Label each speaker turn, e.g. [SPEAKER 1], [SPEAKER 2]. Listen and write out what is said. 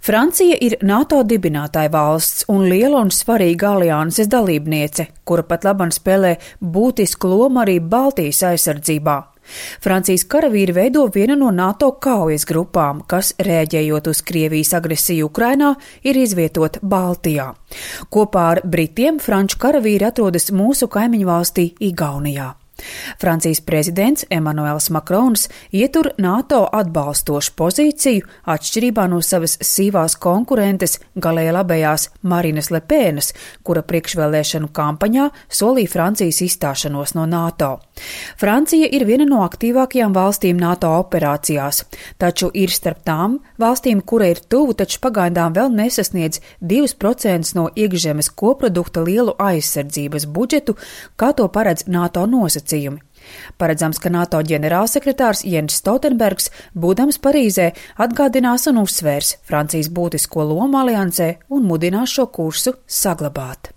[SPEAKER 1] Francija ir NATO dibinātāja valsts un liela un svarīga alianses dalībniece, kura pat labam spēlē būtisku lomu arī Baltijas aizsardzībā. Francijas karavīri veido vienu no NATO kaujas grupām, kas, rēģējot uz Krievijas agresiju Ukrainā, ir izvietota Baltijā. Kopā ar Britiem franču karavīri atrodas mūsu kaimiņu valstī Igaunijā. Francijas prezidents Emmanuels Macrons ietur NATO atbalstošu pozīciju atšķirībā no savas sīvās konkurentes galēji labējās Marinas Lepēnas, kura priekšvēlēšanu kampaņā solīja Francijas izstāšanos no NATO. Francija ir viena no aktīvākajām valstīm NATO operācijās, taču ir starp tām valstīm, kura ir tuvu, taču pagaidām vēl nesasniedz 2% no iekšzemes koprodukta lielu aizsardzības budžetu, kā to paredz NATO nosacījumi. Paredzams, ka NATO ģenerālsekretārs Jens Stoltenbergs, būdams Parīzē, atgādinās un uzsvērs Francijas būtisko lomu aliansē un mudinās šo kursu saglabāt.